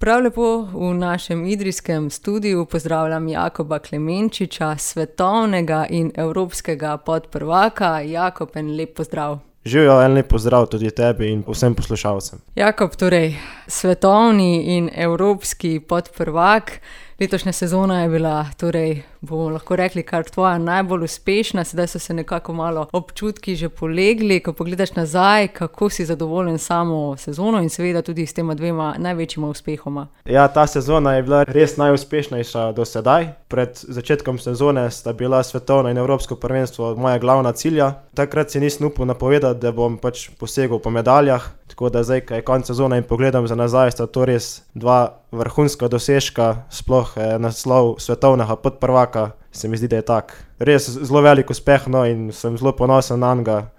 Prav lepo v našem idrijskem studiu pozdravljam Jakoba Klemenčiča, svetovnega in evropskega podprvaka. Jakob, en lep pozdrav. Živjo, en lep pozdrav tudi tebi in vsem poslušalcem. Jakob, torej svetovni in evropski podprvak. Letošnja sezona je bila, torej bomo lahko rekli, kar tvoja najbolj uspešna. Sedaj so se nekako malo občutki že polegli, ko pogledaš nazaj, kako si zadovoljen samo sezono in seveda tudi s tema dvema največjima uspehoma. Ja, ta sezona je bila res najuspešnejša do sedaj. Pred začetkom sezone sta bila svetovno in evropsko prvenstvo moja glavna cilja. Takrat si nisem upal napovedati, da bom posegel po medaljah, tako da zdaj, ko je konec sezone in pogledam za nazaj, sta to res dva vrhunska dosežka, sploh naslov svetovnega podprvaka, se mi zdi, da je tak. Res zelo velik uspeh, no, in sem zelo ponosen na njega.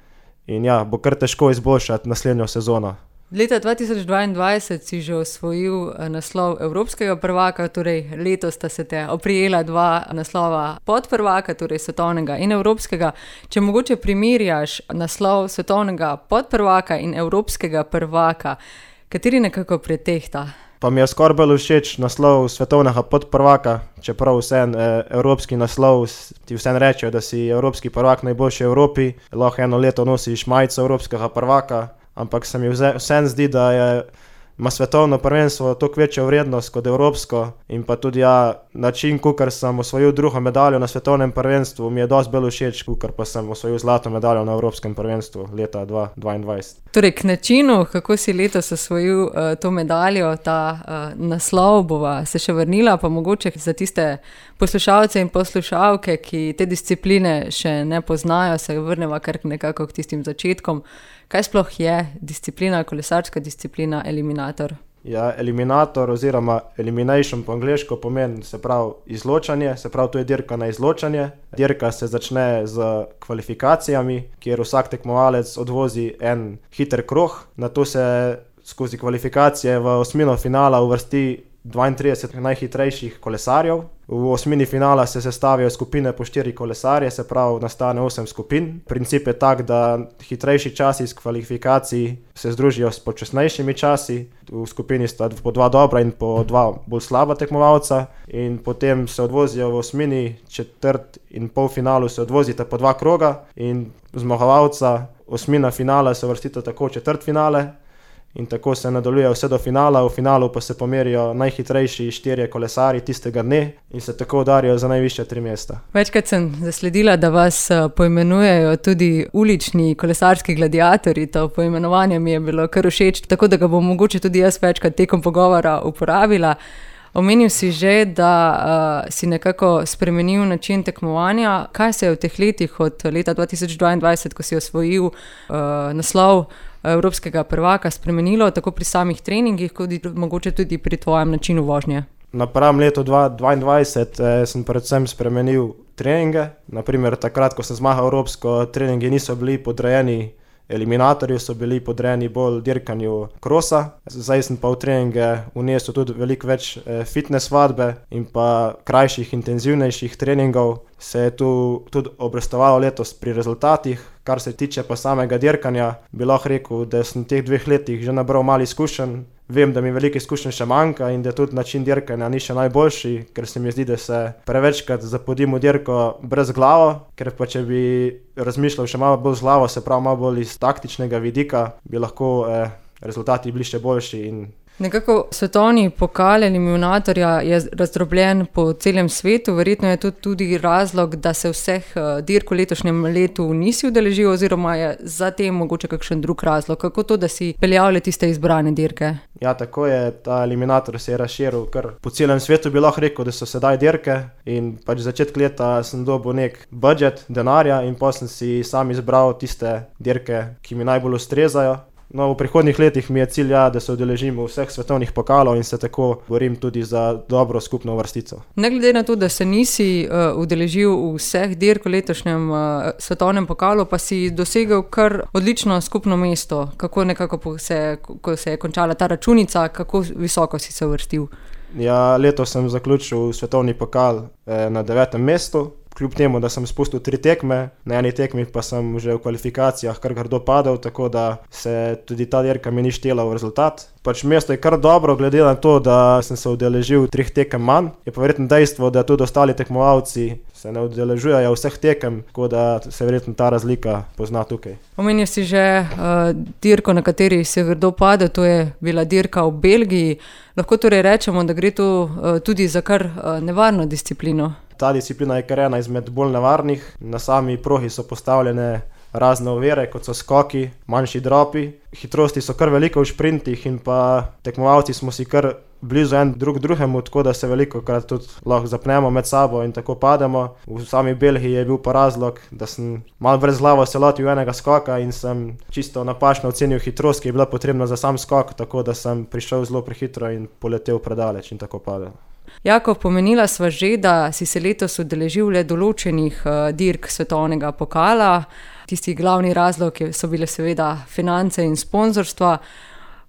In ja, bo kar težko izboljšati naslednjo sezono. Leta 2022 si že osvojil naslov evropskega prvaka, torej letos sta se te oprijela dva naslova podprvaka, torej svetovnega in evropskega. Če mogoče primerjaš naslov svetovnega podprvaka in evropskega prvaka, kateri nekako pretehta? Pa mi je skoraj bolj všeč naslov svetovnega podprvaka, čeprav vseeno evropski naslov ti vseeno rečejo, da si evropski prvak najboljši v Evropi, lahko eno leto nosiš majico evropskega prvaka, ampak se mi vseeno zdi, da ima svetovno prvenstvo toliko večjo vrednost kot evropsko in pa tudi način, kakor sem osvojil drugo medaljo na svetovnem prvenstvu, mi je dosti bolj všeč, kakor pa sem osvojil zlato medaljo na evropskem prvenstvu leta 2022. Torej, k načinu, kako si letos osvojil to medaljo, ta naslov, bova se še vrnila, pa mogoče za tiste poslušalce in poslušalke, ki te discipline še ne poznajo, se vrneva kar nekako k tistim začetkom. Kaj sploh je disciplina, kolesarska disciplina, eliminator? Ja, eliminator oziroma elimination po angleško pomeni, se pravi izločanje, se pravi to je dirka na izločanje. Dirka se začne z kvalifikacijami, kjer vsak tekmovalec odvozi en hiter krog, nato se skozi kvalifikacije v osmino finala uvrsti 32 najhitrejših kolesarjev. V osmini finala se sestavijo skupine po 4 kolesarje, se pravi nastane 8 skupin. Princip je tak, da hitrejši časi iz kvalifikacij se združijo s počasnejšimi časi. V skupini sta po 2 dobra in po 2 bolj slaba tekmovalca in potem se odvozijo v osmini, četrt in polfinalu se odvozita po 2 kroga in zmagovalca osmina finala se uvrstita tako v četrtfinale. In tako se nadaljuje vse do finala, v finalu pa se pomerijo najhitrejši 4 kolesarji tistega dne in se tako udarijo za najvišja 3 mesta. Večkrat sem zasledila, da vas poimenujejo tudi ulični kolesarski gladiatorji, to poimenovanje mi je bilo kar všeč, tako da ga bom mogoče tudi jaz večkrat tekom pogovora uporabila. Omenil si že, da si nekako spremenil način tekmovanja. Kaj se je v teh letih od leta 2022, ko si osvojil naslov evropskega prvaka, spremenilo tako pri samih treningih, kot mogoče tudi pri tvojem načinu vožnje? Napram letu 2022 sem predvsem spremenil treninge. Naprimer, takrat, ko sem zmagal evropsko, treningi niso bili podrejeni eliminatorju, so bili podrejeni bolj dirkanju krosa. Zdaj sem pa v treninge vnesel tudi veliko več fitness vadbe in pa krajših, intenzivnejših treningov. Se je tu tudi obrestovalo letos pri rezultatih. Kar se tiče pa samega dirkanja, bi lahko rekel, da sem v teh 2 letih že nabral malo izkušenj. Vem, da mi veliko izkušenj še manjka in da tudi način dirkanja ni še najboljši, ker se mi zdi, da se prevečkrat zapodim v dirko brez glavo, ker pa če bi razmišljal še malo bolj z glavo, se pravi malo bolj iz taktičnega vidika, bi lahko rezultati bili še boljši in nekako svetovni pokal eliminatorja je razdrobljen po celem svetu, verjetno je to tudi razlog, da se vseh dirk v letošnjem letu nisi udeležil oziroma je za tem mogoče kakšen drug razlog. Kako to, da si peljal le tiste izbrane dirke? Ja, tako je, ta eliminator se je razširil kar po celem svetu, bi lahko rekel, da so sedaj dirke in pač začetek leta sem dobil nek budget denarja in potem sem si sam izbral tiste dirke, ki mi najbolj ustrezajo. No, v prihodnjih letih mi je cilj, da se udeležim vseh svetovnih pokalov in se tako borim tudi za dobro skupno vrstico. Ne glede na to, da se nisi udeležil vseh dirk v letošnjem svetovnem pokalu, pa si dosegel kar odlično skupno mesto. Kako nekako ko se je končala ta računica, kako visoko si se uvrstil? Ja, letos sem zaključil svetovni pokal na 9. mestu. kljub temu, da sem spustil 3 tekme, na eni tekmi pa sem že v kvalifikacijah kar grdo padel, tako da se tudi ta dirka mi ni štela v rezultat. Pač mesto je kar dobro, glede na to, da sem se udeležil 3 tekem manj. Je pa verjetno dejstvo, da tudi ostali tekmovalci se ne udeležujejo vseh tekem, tako da se verjetno ta razlika pozna tukaj. Omenil si že dirko, na kateri si grdo padel, to je bila dirka v Belgiji. Lahko torej rečemo, da gre tu tudi za kar nevarno disciplino. Ta disciplina je kar ena izmed bolj nevarnih. Na sami progi so postavljene razne ovire, kot so skoki, manjši dropi. Hitrosti so kar veliko v šprintih in pa tekmovalci smo si kar blizu en drugemu, tako da se velikokrat tudi lahko zapnemo med sabo in tako pademo. V sami Belgiji je bil pa razlog, da sem malo brezglavo se lotil enega skoka in sem čisto napačno ocenil hitrost, ki je bila potrebna za sam skok, tako da sem prišel zelo prehitro in poletel predaleč in tako padel. Jakob, pomenila sva že, da si se letos udeležil le določenih dirk svetovnega pokala. Tisti glavni razlog so bile seveda finance in sponzorstva.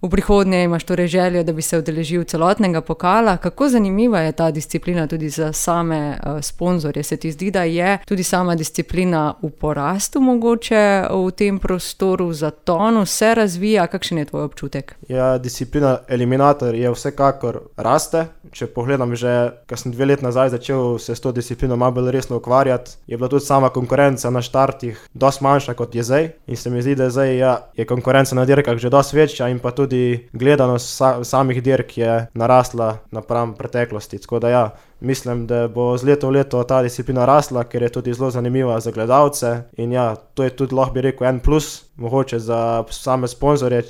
V prihodnje imaš torej željo, da bi se udeležil celotnega pokala. Kako zanimiva je ta disciplina tudi za same sponzorje? Se ti zdi, da je tudi sama disciplina v porastu mogoče v tem prostoru, zatonu, se razvija? Kakšen je tvoj občutek? Ja, disciplina eliminator je vsekakor raste. Če pogledam že, ko sem 2 let nazaj začel se s to disciplino malo bolj resno ukvarjati, je bila tudi sama konkurenca na štartih dosti manjša kot je zdaj. In se mi zdi, da zdaj je konkurenca na dirkah že dosti večja in pa tudi gledanost samih dirk je narasla napram preteklosti. Tako da ja, mislim, da bo z leto v leto ta disciplina rasla, ker je tudi zelo zanimiva za gledalce. In ja, to je tudi, lahko bi rekel, en plus, mogoče za same sponzorje,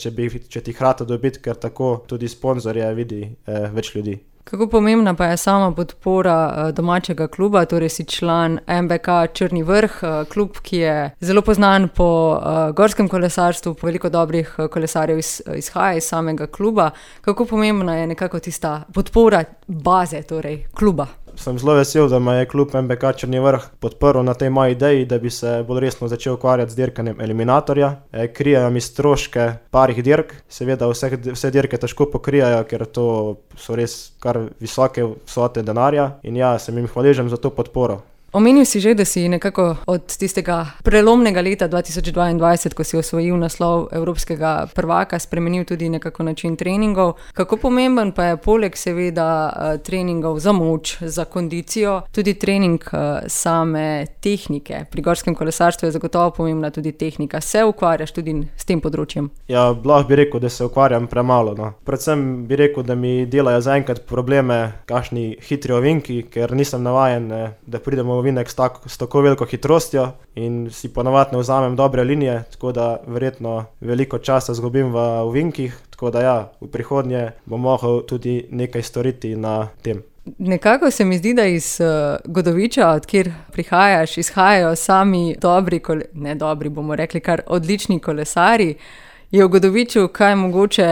če ti hrata dobiti, ker tako tudi sponzorje vidi več ljudi. Kako pomembna pa je sama podpora domačega kluba, torej si član MBK Črni vrh, klub, ki je zelo poznan po gorskem kolesarstvu, po veliko dobrih kolesarjev izhaja iz samega kluba. Kako pomembna je nekako tista podpora baze, torej kluba? Sem zelo vesel, da me je klub MBK Črni vrh podprl na tej moji ideji, da bi se bolj resno začel ukvarjati z dirkanjem eliminatorja. Krijajo mi stroške parih dirk, seveda vse dirke težko pokrijajo, ker to so res kar visoke vsote denarja in ja, sem jim hvaležen za to podporo. Omenil si že, da si nekako od tistega prelomnega leta 2022, ko si osvojil naslov evropskega prvaka, spremenil tudi nekako način treningov. Kako pomemben pa je poleg seveda treningov za moč, za kondicijo, tudi trening same tehnike? Pri gorskem kolesarstvu je zagotovo pomembna tudi tehnika. Se ukvarjaš tudi s tem področjem? Ja, lahko bi rekel, da se ukvarjam premalo. No. Predvsem bi rekel, da mi delajo zaenkrat probleme kakšni hitri ovinki, ker nisem navajen, da pridemo ovinek s tako veliko hitrostjo in si ponavadi ne vzamem dobre linije, tako da verjetno veliko časa zgubim v ovinkih, tako da ja, v prihodnje bom mogel tudi nekaj storiti na tem. Nekako se mi zdi, da iz Godoviča, od kjer prihajaš, izhajajo sami bomo rekli kar odlični kolesarji. Je v Godoviču kaj mogoče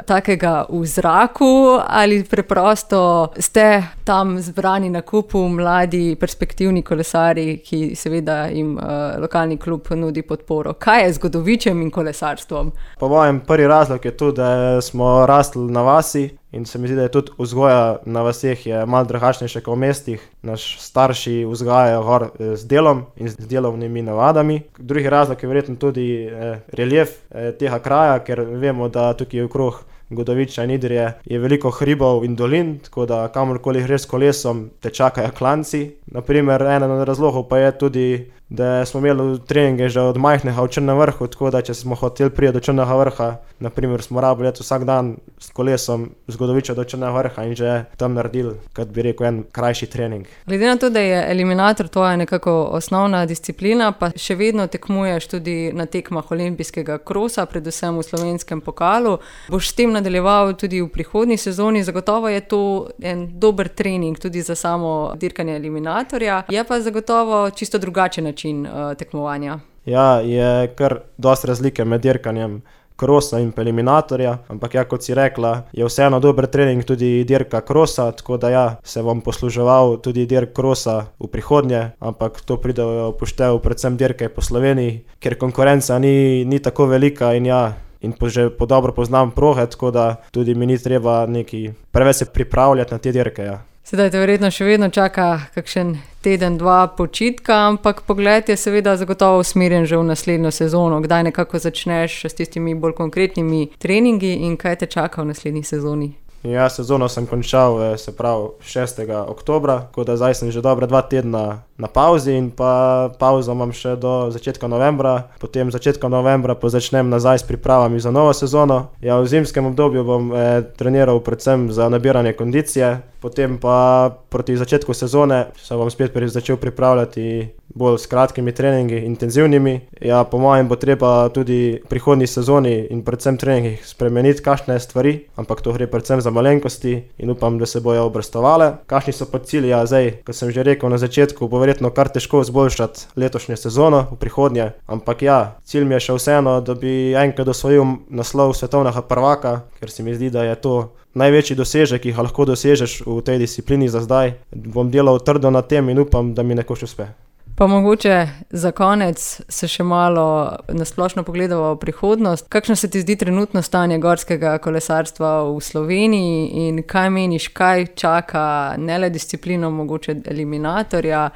takega v zraku ali preprosto ste tam zbrani na kupu mladi, perspektivni kolesarji, ki seveda jim lokalni klub nudi podporo? Kaj je z Godovičem in kolesarstvom? Po mojem prvi razlog je to, da smo rasli na vasi in se mi zdi, da je tudi vzgoja na vaseh je malo drugačnejša kot v mestih. Naš starši vzgajajo gor z delom in z delovnimi navadami. Drugi razlog je verjetno tudi relief tega kraja, ker vemo, da tukaj okrog Godoviča in Idrije je veliko hribov in dolin, tako da kamorkoli greš s kolesom, te čakajo klanci. Naprimer, eden od razlogov pa je tudi, da smo imeli treninge že od majhnega v Črnem vrhu, tako da če smo hoteli priti do Črnega vrha, naprimer smo rabili vsak dan s kolesom z Godoviča do Črnega vrha in že tam naredili, kot bi rekel, en krajši trening. Glede na to, da je eliminator tvoja nekako osnovna disciplina, pa še vedno tekmuješ tudi na tekmah olimpijskega krosa, predvsem v slovenskem pokalu, boš s tem nadaljeval tudi v prihodnji sezoni. Zagotovo je to en dober trening tudi za samo dirkanje eliminatorja, je pa zagotovo čisto drugačen način tekmovanja. Ja, je kar dosti razlike med dirkanjem krosa in eliminatorja, ampak ja, kot si rekla, je vseeno dober trening tudi dirka krosa, tako da ja, se bom posluževal tudi dirk krosa v prihodnje, ampak to pride v poštev predvsem dirke po Sloveniji, ker konkurenca ni tako velika in ja, in že dobro poznam proge, tako da tudi mi ni treba neki preveč se pripravljati na te dirke. Ja. Sedaj te verjetno še vedno čaka kakšen teden, dva počitka, ampak pogled je seveda zagotovo usmerjen že v naslednjo sezono. Kdaj nekako začneš s tistimi bolj konkretnimi treningi in kaj te čaka v naslednji sezoni? Ja, sezono sem končal, se pravi 6. oktobra, tako da zdaj sem že dobra 2 tedna na pauzi in pa pauzo imam še do začetka novembra. Potem začetka novembra pa začnem nazaj s pripravami za novo sezono. Ja, v zimskem obdobju bom treniral predvsem za nabiranje kondicije, potem pa proti začetku sezone se bom spet začel pripravljati bolj s kratkimi treningi, intenzivnimi. Ja, po mojem bo treba tudi v prihodnji sezoni in predvsem treningih spremeniti kakšne stvari, ampak to gre predvsem za malenkosti in upam, da se bojo obrestovale. Kakšni so pa cilji? Ja, zdaj, kot sem že rekel na začetku, bo verjetno kar težko izboljšati letošnjo sezono v prihodnje, ampak ja, cilj mi je še vseeno, da bi enkrat osvojil naslov svetovnega prvaka, ker se mi zdi, da je to največji dosežek, ki ga lahko dosežeš v tej disciplini za zdaj. Bom delal trdo na tem in upam, da mi nekoč uspe. Pa mogoče za konec se še malo nasplošno pogledamo v prihodnost. Kakšno se ti zdi trenutno stanje gorskega kolesarstva v Sloveniji in kaj meniš, kaj čaka ne le disciplino mogoče eliminatorja,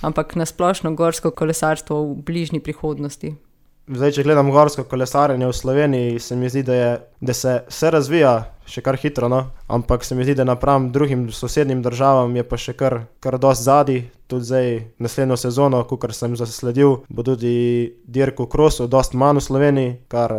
ampak nasplošno gorsko kolesarstvo v bližnji prihodnosti? Zdaj, če gledam gorsko kolesarjenje v Sloveniji, se mi zdi, da se razvija še kar hitro, no? Ampak se mi zdi, da napram drugim sosednjim državam je pa še kar dosti zadaj. Tudi zdaj naslednjo sezono, kakor sem zasledil, bo tudi dirk v krosu dosti manj v Sloveniji, kar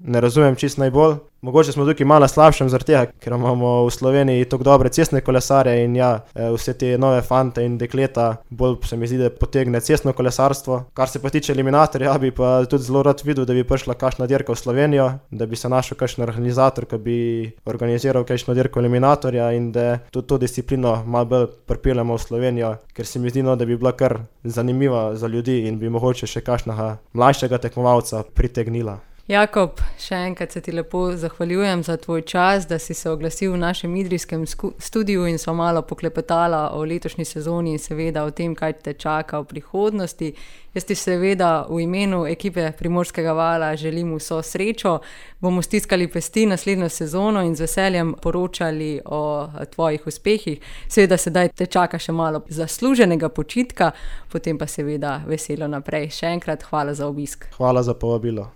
ne razumem čisto najbolj. Mogoče smo tukaj malo slabšem zaradi tega, ker imamo v Sloveniji tako dobre cestne kolesarje in ja, vse te nove fante in dekleta bolj se mi zdi, da potegne cestno kolesarstvo. Kar se pa tiče eliminatorja, bi pa tudi zelo rad videl, da bi prišla kakšna dirka v Slovenijo, da bi se našel kakšen organizator, ki bi organiziral kakšno dirko eliminatorja in da tudi to disciplino malo bolj pripeljemo v Slovenijo, ker se mi zdi, da bi bila kar zanimiva za ljudi in bi mogoče še kakšnega mlajšega tekmovalca pritegnila. Jakob, še enkrat se ti lepo zahvaljujem za tvoj čas, da si se oglasil v našem idrijskem studiu in sva malo poklepetala o letošnji sezoni in seveda o tem, kaj te čaka v prihodnosti. Jaz ti seveda v imenu ekipe Primorskega vala želim vso srečo. Bomo stiskali pesti naslednjo sezono in z veseljem poročali o tvojih uspehih. Seveda sedaj te čaka še malo zasluženega počitka, potem pa seveda veselo naprej. Še enkrat hvala za obisk. Hvala za povabilo.